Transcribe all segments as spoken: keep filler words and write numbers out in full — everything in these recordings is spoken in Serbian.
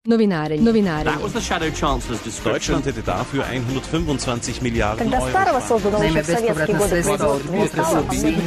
Novinarenje. Novinarenje. That was the Shadow Chancellor's description. Deutschland hätte dafür hundertfünfundzwanzig Miliarden Когда Euro. Starova создана Naime, еще в советские годы производства.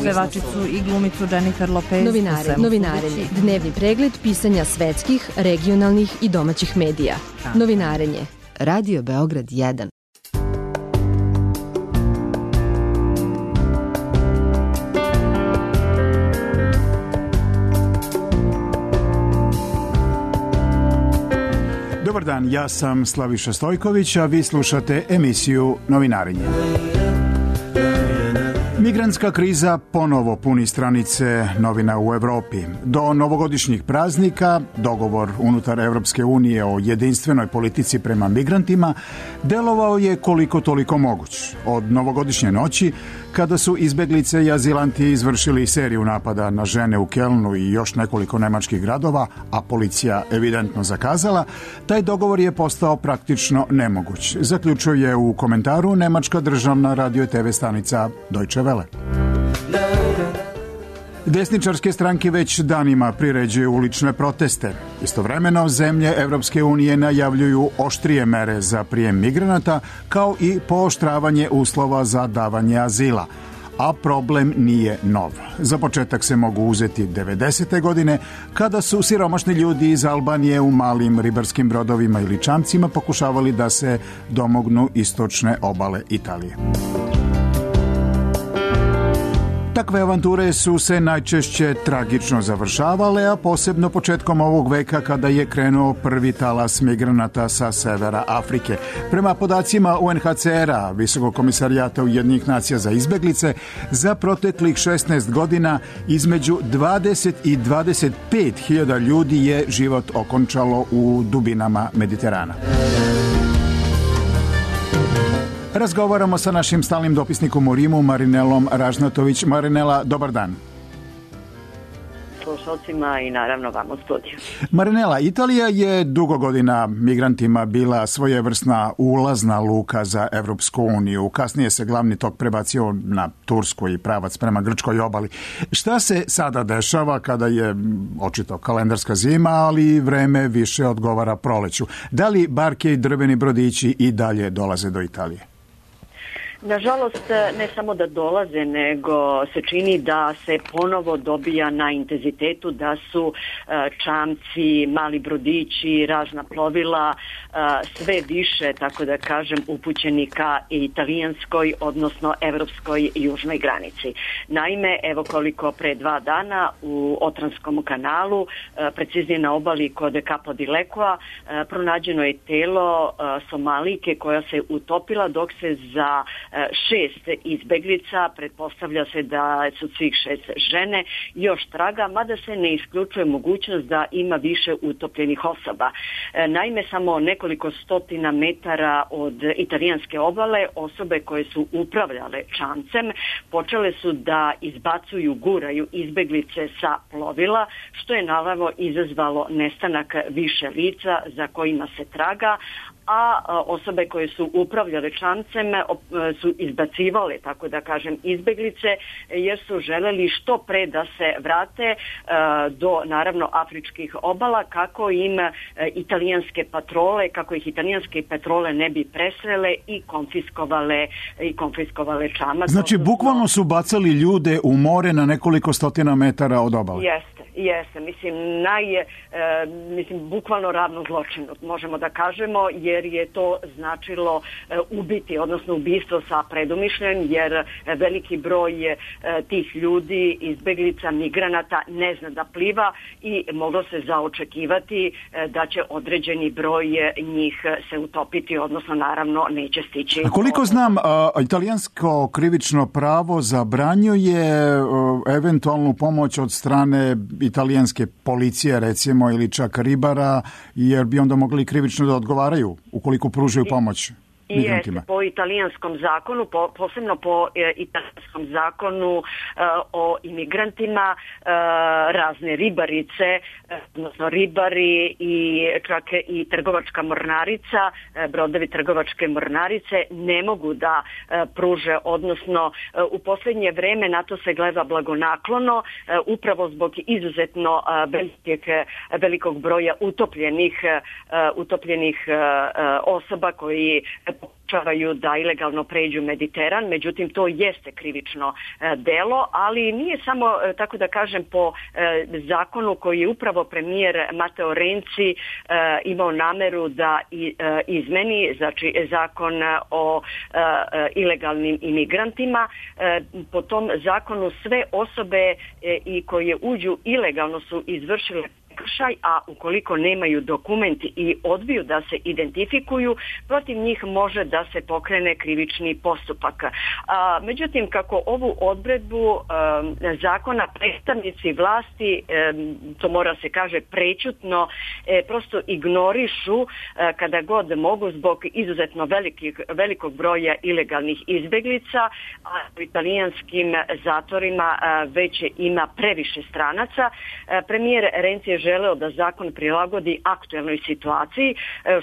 Pevačicu i glumicu Jennifer Lopez. Novinarenje. Novinarenje. Dnevni pregled pisanja svetskih, regionalnih i domaćih medija. Novinarenje. Radio Beograd jedan. Dobar dan, ja sam Slaviša Stojković, a vi slušate emisiju Novinarenje. Migrantska kriza ponovo puni stranice novina u Evropi. Do novogodišnjih praznika dogovor unutar Evropske unije o jedinstvenoj politici prema migrantima delovao je koliko toliko moguć. Od novogodišnje noći, kada su izbeglice i azilanti izvršili seriju napada na žene u Kelnu i još nekoliko nemačkih gradova, a policija evidentno zakazala, taj dogovor je postao praktično nemoguć, zaključuje u komentaru nemačka državna radio i te ve stanica Deutsche Welle. Desničarske stranke već danima priređuju ulične proteste. Istovremeno, zemlje Evropske unije najavljuju oštrije mere za prijem migranata, kao i pooštravanje uslova za davanje azila. A problem nije nov. Za početak se mogu uzeti devedesete godine, kada su siromašni ljudi iz Albanije u malim ribarskim brodovima ili čamcima pokušavali da se domognu istočne obale Italije. Takve avanture su se najčešće tragično završavale, a posebno početkom ovog veka kada je krenuo prvi talas migranata sa severa Afrike. Prema podacima U N H C R-a, Visokog komisarijata Ujedinjenih nacija za izbeglice, za proteklih šesnaest godina između dvadeset i dvadeset pet hiljada ljudi je život okončalo u dubinama Mediterana. Razgovaramo sa našim stalnim dopisnikom u Rimu, Marinelom Ražnatović. Marinela, dobar dan. Slušalcima i naravno vam u studiju. Marinela, Italija je dugo godina migrantima bila svojevrsna ulazna luka za Evropsku uniju. Kasnije se glavni tok prebacio na Tursku i pravac prema Grčkoj obali. Šta se sada dešava kada je očito kalendarska zima, ali vreme više odgovara proleću? Da li barke i drveni brodići i dalje dolaze do Italije? Nažalost, ne samo da dolaze, nego se čini da se ponovo dobija na intenzitetu, da su čamci, mali brodići, razna plovila sve više, tako da kažem, upućeni ka italijanskoj, odnosno evropskoj južnoj granici. Naime, evo koliko pre dva dana u Otranskom kanalu, preciznije na obali kod Capo di Lecoa, pronađeno je telo Somalike koja se utopila, dok se za šest izbeglica, pretpostavlja se da su svih šest žene, još traga, mada se ne isključuje mogućnost da ima više utopljenih osoba. Naime, samo nekoliko stotina metara od italijanske obale, osobe koje su upravljale čamcem počele su da izbacuju, guraju izbeglice sa plovila, što je naravno izazvalo nestanak više lica za kojima se traga, a osobe koje su upravljale čamcem su izbacivale, tako da kažem, izbeglice, jer su želeli što pre da se vrate do, naravno, afričkih obala, kako im italijanske patrole, kako ih italijanske patrole ne bi presrele i konfiskovale, i konfiskovale čamac. Znači, bukvalno su bacali ljude u more na nekoliko stotina metara od obale. Jeste. Jeste, mislim, naj, e, mislim, bukvalno ravno zločinu, možemo da kažemo, jer je to značilo e, ubiti, odnosno ubistvo sa predumišljem, jer veliki broj e, tih ljudi, izbeglica, migranata ne zna da pliva i moglo se zaočekivati e, da će određeni broj njih se utopiti, odnosno naravno neće stići. A koliko znam, a, italijansko krivično pravo zabranjuje a, eventualnu pomoć od strane italijanske policije, recimo, ili čak ribara, jer bi onda mogli krivično da odgovaraju ukoliko pružaju pomoć. migrantima? Jeste, po italijanskom zakonu, po, posebno po e, italijanskom zakonu e, o imigrantima, e, razne ribarice, e, odnosno ribari i čak i trgovačka mornarica, e, brodovi trgovačke mornarice ne mogu da e, pruže, odnosno e, u posljednje vreme na to se gleda blagonaklono, e, upravo zbog izuzetno e, velikog, velikog broja utopljenih, e, utopljenih e, osoba koji pokušavaju da ilegalno pređu Mediteran, međutim to jeste krivično e, delo, ali nije samo, e, tako da kažem, po e, zakonu koji je upravo premijer Matteo Renzi e, imao nameru da i, e, izmeni, znači zakon o e, ilegalnim imigrantima. E, po tom zakonu sve osobe e, i koje uđu ilegalno su izvršile prekršaj, a ukoliko nemaju dokumenti i odbiju da se identifikuju, protiv njih može da se pokrene krivični postupak. A, međutim, kako ovu odredbu a, zakona predstavnici vlasti, a, to mora se kaže prečutno, e, prosto ignorišu a, kada god mogu zbog izuzetno velikih, velikog broja ilegalnih izbeglica, a u italijanskim zatvorima a, već ima previše stranaca. A, premijer Renzi je želeo da zakon prilagodi aktuelnoj situaciji,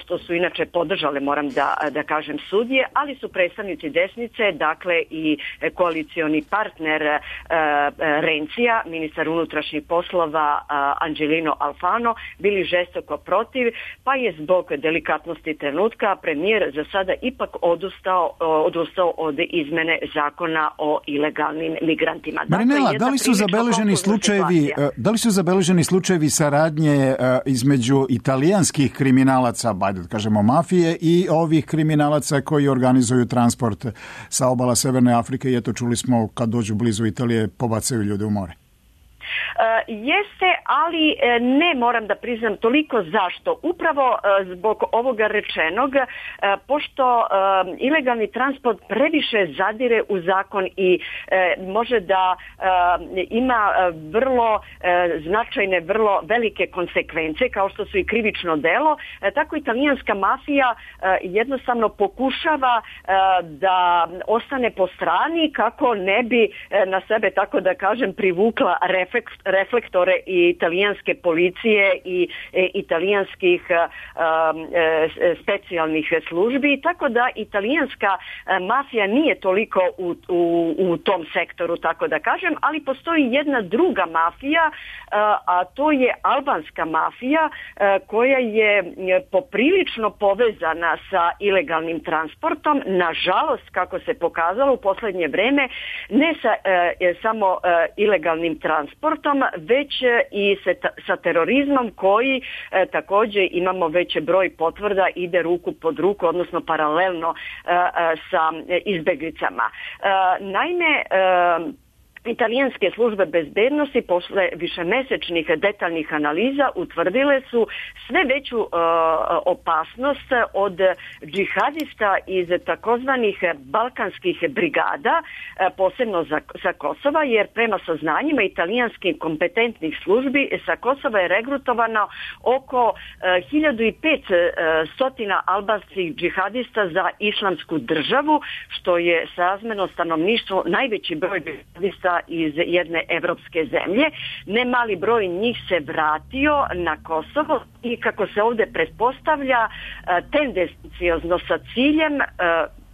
što su inače podržale, moram da, da kažem, sudije, ali su predstavnici desnice, dakle i koalicioni partner e, Renzija, ministar unutrašnjih poslova Angelino Alfano, bili žestoko protiv, pa je zbog delikatnosti trenutka premijer za sada ipak odustao, odustao od izmene zakona o ilegalnim migrantima. Marinela, dakle, da li su zabeleženi slučajevi, da li su zabeleženi slučajevi saradnje između italijanskih kriminalaca, bajde da kažemo mafije, i ovih kriminalaca koji organizuju transport sa obala Severne Afrike i eto čuli smo kad dođu blizu Italije pobacaju ljude u more? Uh, jeste, ali uh, ne moram da priznam toliko zašto. Upravo uh, zbog ovoga rečenog, uh, pošto uh, ilegalni transport previše zadire u zakon i uh, može da uh, ima uh, vrlo uh, značajne, vrlo velike konsekvence, kao što su i krivično delo, uh, tako italijanska mafija uh, jednostavno pokušava uh, da ostane po strani kako ne bi uh, na sebe, tako da kažem, privukla refleks reflektore i italijanske policije i e, italijanskih e, e, specijalnih službi, tako da italijanska e, mafija nije toliko u, u, u tom sektoru, tako da kažem, ali postoji jedna druga mafija, e, a to je albanska mafija e, koja je poprilično povezana sa ilegalnim transportom, nažalost, kako se pokazalo u posljednje vreme, ne sa e, samo e, ilegalnim transportom, već i sa terorizmom koji e, također imamo veći broj potvrda, ide ruku pod ruku, odnosno paralelno e, e, sa izbeglicama. E, naime, e, italijanske službe bezbednosti posle višemesečnih detaljnih analiza utvrdile su sve veću uh, opasnost od džihadista iz takozvanih balkanskih brigada, uh, posebno za, sa Kosova, jer prema saznanjima italijanskih kompetentnih službi sa Kosova je regrutovano oko uh, hiljadu petsto albanskih džihadista za islamsku državu, što je srazmjerno stanovništvu najveći broj džihadista iz jedne evropske zemlje. Ne mali broj njih se vratio na Kosovo i, kako se ovdje pretpostavlja, tendenciozno sa ciljem,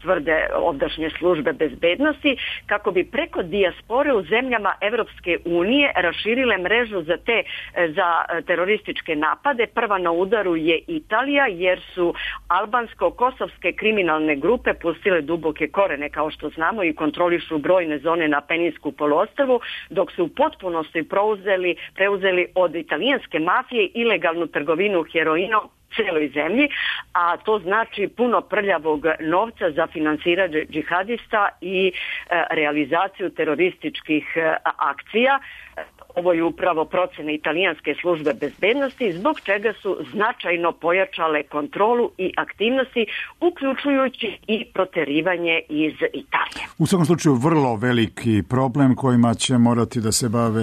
tvrde ovdašnje službe bezbednosti, kako bi preko dijaspore u zemljama Evropske unije raširile mrežu za te za terorističke napade. Prva na udaru je Italija, jer su albansko-kosovske kriminalne grupe pustile duboke korene, kao što znamo, i kontrolišu brojne zone na Peninsku poluostrvu, dok su u potpunosti preuzeli, preuzeli od italijanske mafije ilegalnu trgovinu heroinom cijeloj zemlji, a to znači puno prljavog novca za finansiranje džihadista i e, realizaciju terorističkih e, akcija. ovo je upravo procena italijanske službe bezbednosti, zbog čega su značajno pojačale kontrolu i aktivnosti, uključujući i proterivanje iz Italije. U svakom slučaju vrlo veliki problem kojima će morati da se bave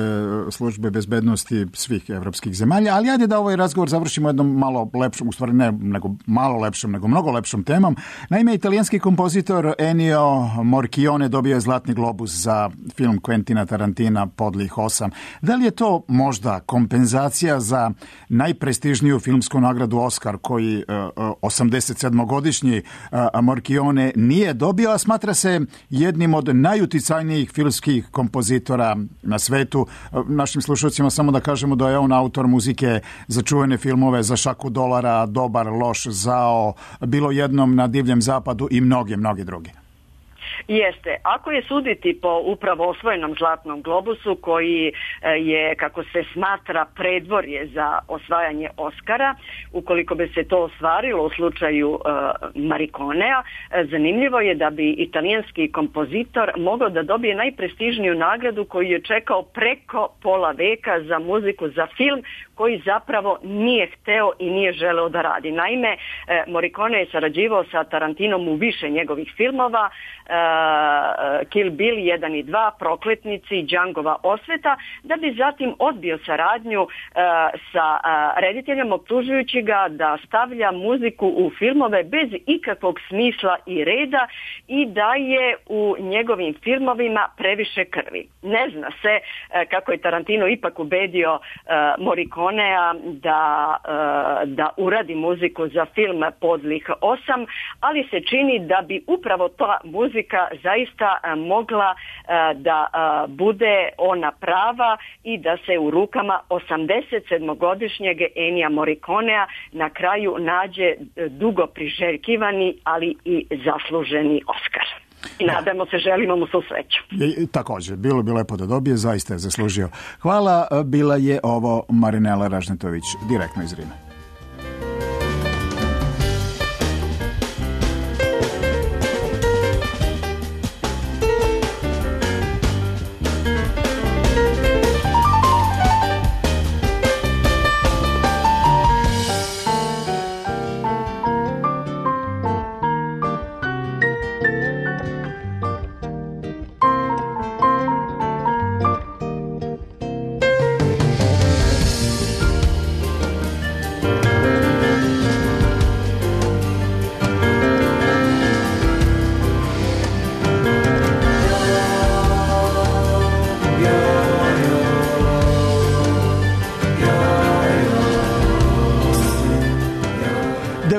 službe bezbednosti svih evropskih zemalja, ali ajde da ovaj razgovor završimo jednom malo lepšom, u stvari ne nego malo lepšom, nego mnogo lepšom temom. Naime, italijanski kompozitor Ennio Morricone dobio je Zlatni globus za film Quentina Tarantina Podlih osam. Da li je to možda kompenzacija za najprestižniju filmsku nagradu Oscar koji uh, osamdeset sedmogodišnji uh, Morricone nije dobio, a smatra se jednim od najuticajnijih filmskih kompozitora na svetu. Uh, našim slušalcima samo da kažemo da je on autor muzike za čuvene filmove Za šaku dolara, Dobar, loš, zao, Bilo jednom na divljem zapadu i mnoge, mnoge druge. Jeste. Ako je suditi po upravo osvojenom Zlatnom globusu, koji je, kako se smatra, predvorje za osvajanje Oskara, ukoliko bi se to ostvarilo u slučaju uh, Morriconea, zanimljivo je da bi italijanski kompozitor mogao da dobije najprestižniju nagradu koju je čekao preko pola veka za muziku za film koji zapravo nije hteo i nije želeo da radi. Naime, Morricone je sarađivao sa Tarantinom u više njegovih filmova, Kill Bill jedan i dva, Prokletnici, Djangova osveta, da bi zatim odbio saradnju sa rediteljem, optužujući ga da stavlja muziku u filmove bez ikakvog smisla i reda i da je u njegovim filmovima previše krvi. Ne zna se kako je Tarantino ipak ubedio Morriconea da, da uradi muziku za film Podlih osam, ali se čini da bi upravo ta muzika zaista mogla da bude ona prava i da se u rukama osamdeset sedmogodišnjeg Ennija Morriconea na kraju nađe dugo priželjkivani, ali i zasluženi Oskar. I nadamo se, želimo mu svu sreću. I, također, bilo bi lepo da dobije, zaista je zaslužio. Hvala, bila je ovo Marinela Ražnetović, direktno iz Rima.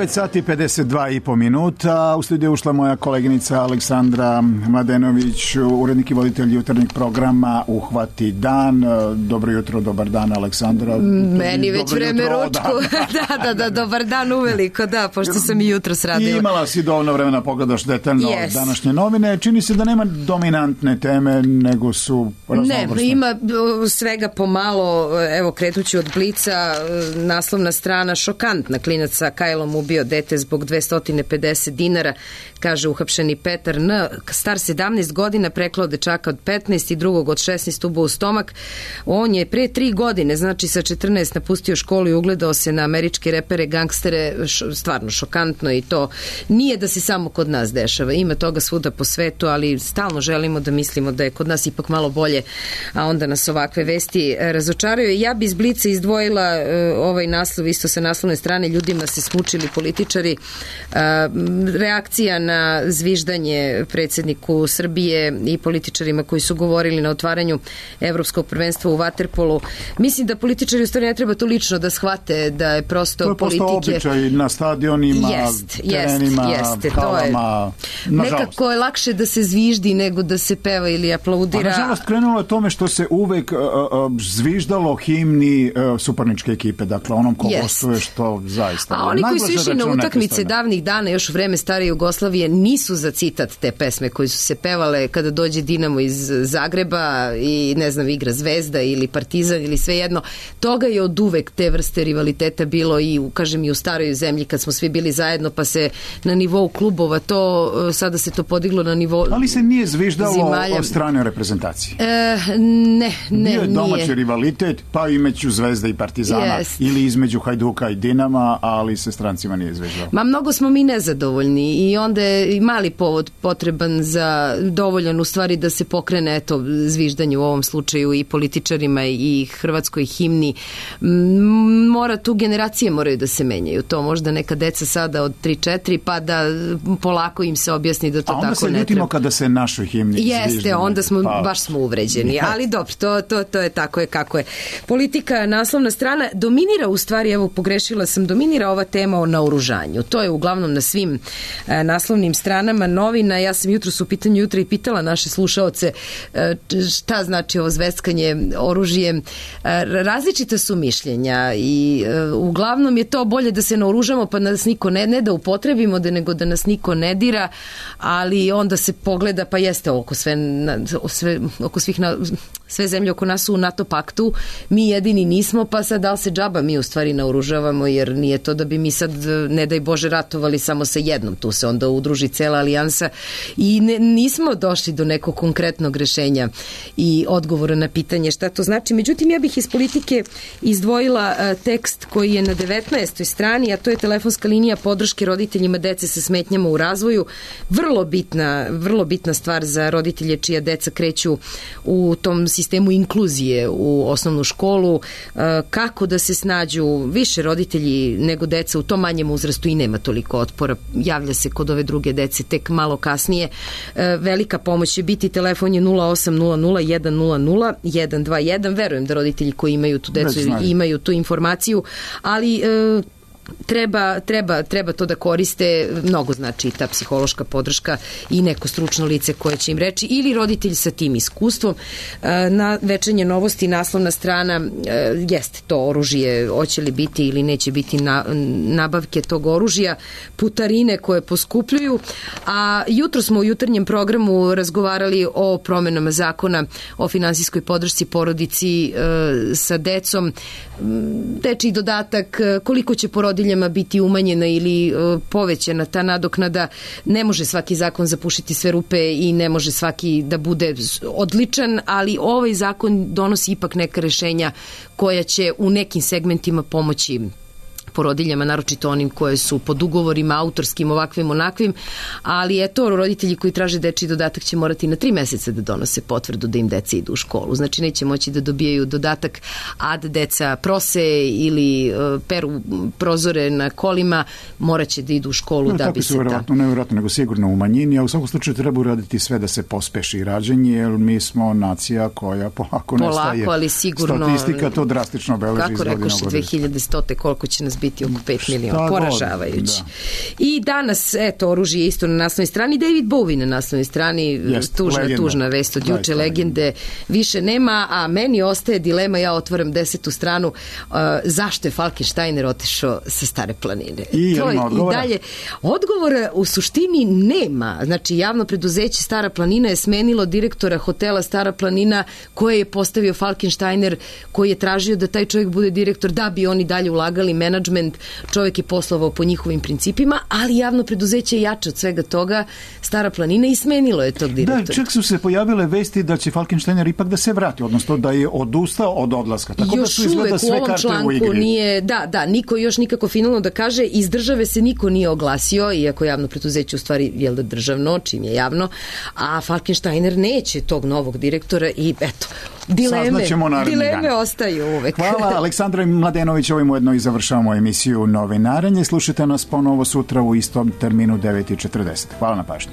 devet sati pedeset dva i po minuta. U studiju ušla moja koleginica Aleksandra Mladenović, urednik i voditelj jutarnjeg programa Uhvati dan. Dobro jutro, dobar dan, Aleksandra. Meni već dobro vreme jutro, ručku. Da. da, da, da, dobar dan uveliko, da, pošto sam i jutros radila. I imala si dovoljno vremena pogledaš detaljno yes. današnje novine. Čini se da nema dominantne teme, nego su raznovrsne. Ne, ima svega pomalo, evo kretući od Blica, naslovna strana šokantna, klinac sa kajlom ubio dete zbog dvesta pedeset dinara, kaže uhapšeni Petar N, star sedamnaest godina, preklao dečaka od petnaest i drugog od šesnaest ubo u stomak. On je pre tri godine, znači sa četrnaest, napustio školu i ugledao se na američke repere, gangstere, stvarno šokantno, i to nije da se samo kod nas dešava, ima toga svuda po svetu, ali stalno želimo da mislimo da je kod nas ipak malo bolje, a onda nas ovakve vesti razočaraju. Ja bi iz Blica izdvojila uh, ovaj naslov isto sa naslovne strane, ljudima se smučili političari, uh, reakcija na zviždanje predsjedniku Srbije i političarima koji su govorili na otvaranju evropskog prvenstva u vaterpolu. Mislim da političari u stvari ne treba to lično da shvate, da je prosto to je politike... To je prosto običaj na stadionima, jest, terenima, jest, jest, halama. Je, nekako je lakše da se zviždi nego da se peva ili aplaudira. A nažalost krenulo je tome što se uvek uh, uh, zviždalo himni uh, suparničke ekipe, dakle onom ko gostuje, što zaista... A oni koji su su išli na utakmice davnih dana, još u vreme stare Jugoslavije, nisu za citat te pesme koje su se pevale kada dođe Dinamo iz Zagreba i ne znam, igra Zvezda ili Partizan ili svejedno. Toga je od uvek te vrste rivaliteta bilo i, kažem, i u staroj zemlji kad smo svi bili zajedno, pa se na nivou klubova to, sada se to podiglo na nivou ali se nije zviždalo zimalja. O strane reprezentacije. E, ne, ne, Bio je domaći nije. rivalitet, pa između Zvezda i Partizana Jest. ili između Hajduka i Dinama, ali se strancima nije zviždalo. Ma mnogo smo mi nezadovoljni i onda je i mali povod potreban za dovoljan u stvari da se pokrene eto zviždanje u ovom slučaju i političarima i hrvatskoj himni. Mora tu generacije moraju da se menjaju. To možda neka deca sada od tri četiri pa da polako im se objasni da to tako ne treba. A onda se ljutimo kada se našoj himni Jeste, zviždanje. onda smo, pa... baš smo uvređeni. Ali dobro, to, to, to je tako je kako je. Politika, naslovna strana, dominira u stvari, evo pogrešila sam, dominira ova tema o naoružanju. To je uglavnom na svim e, naslovnim stranama novina. Ja sam jutros u pitanju jutra i pitala naše slušaoce e, šta znači ovo zveckanje oružjem. E, različita su mišljenja i e, uglavnom je to bolje da se naoružamo pa nas niko ne, ne da upotrebimo, da nego da nas niko ne dira, ali onda se pogleda pa jeste oko sve, sve oko svih na, sve zemlje oko nas su u NATO paktu, mi jedini nismo, pa sad da li se džaba mi u stvari naoružavamo, jer nije to da bi mi sad, ne daj Bože, ratovali samo sa jednom, tu se onda udruži cela alijansa i ne, nismo došli do nekog konkretnog rešenja i odgovora na pitanje šta to znači. Međutim, ja bih iz politike izdvojila a, tekst koji je na devetnaestoj strani, a to je telefonska linija podrške roditeljima dece sa smetnjama u razvoju. Vrlo bitna, vrlo bitna stvar za roditelje čija deca kreću u tom sistemu inkluzije u osnovnu školu, kako da se snađu više roditelji nego deca u tom manjem uzrastu i nema toliko otpora. Javlja se kod ove druge dece tek malo kasnije. Velika pomoć će biti, telefon je nula osam nula nula jedan nula nula jedan dva jedan. Verujem da roditelji koji imaju tu decu imaju tu informaciju, ali Treba, treba, treba to da koriste, mnogo znači ta psihološka podrška i neko stručno lice koje će im reći ili roditelj sa tim iskustvom. Na Večernje novosti naslovna strana jeste to oružje, hoće li biti ili neće biti na, nabavke tog oružja, putarine koje poskupljuju, a jutro smo u jutarnjem programu razgovarali o promenama zakona o finansijskoj podršci porodici e, sa decom, dečiji dodatak, koliko će porodiljama biti umanjena ili e, povećana ta nadoknada. Ne može svaki zakon zapušiti sve rupe i ne može svaki da bude odličan, ali ovaj zakon donosi ipak neka rešenja koja će u nekim segmentima pomoći porodiljama, naročito onim koje su pod ugovorima autorskim, ovakvim, onakvim, ali eto, roditelji koji traže dečiji dodatak će morati na tri meseca da donose potvrdu da im deca idu u školu. Znači, neće moći da dobijaju dodatak, a da deca prose ili uh, peru prozore na kolima, moraće da idu u školu no, da bi se... Tako su vjerojatno, ne vjerojatno, nego sigurno u manjini, a u svakom slučaju treba uraditi sve da se pospeši rađanje, jer mi smo nacija koja polako, polako nestaje. Polako, ali sigurno... Statistika to drastično beleži iz godine u godinu. Kako rekoše, dve hiljade stote koliko će nas biti oko pet miliona, poražavajući. Da. I danas, eto, oružje isto na naslovnoj strani, David Bowie na naslovnoj strani, Jest, tužna, legenda. tužna vest od juče, legende više nema, a meni ostaje dilema, ja otvaram desetu stranu, uh, zašto je Falkensteiner otišao sa Stare planine. I, to, odgovora? I dalje, odgovora u suštini nema. Znači, javno preduzeće Stara planina je smenilo direktora hotela Stara planina koje je postavio Falkensteiner, koji je tražio da taj čovjek bude direktor, da bi oni dalje ulagali menadžment. Čovjek je poslovao po njihovim principima, ali javno preduzeće je jače od svega toga, Stara planina, i smenilo je tog direktora. Da, čak su se pojavile vesti da će Falkensteiner ipak da se vrati, odnosno da je odustao od odlaska. Tako još da su izgleda sve u karte u igri. Nije, da, da, niko još nikako finalno da kaže, iz države se niko nije oglasio, iako javno preduzeće u stvari je da državno, čim je javno, a Falkensteiner neće tog novog direktora i eto, dileme, dileme dan. Ostaju uvek. Hvala Aleksandra Mladenović, ovim ujedno i završavamo emisiju Novinarenje. Slušajte nas ponovo sutra u istom terminu devet i četrdeset. Hvala na pažnji.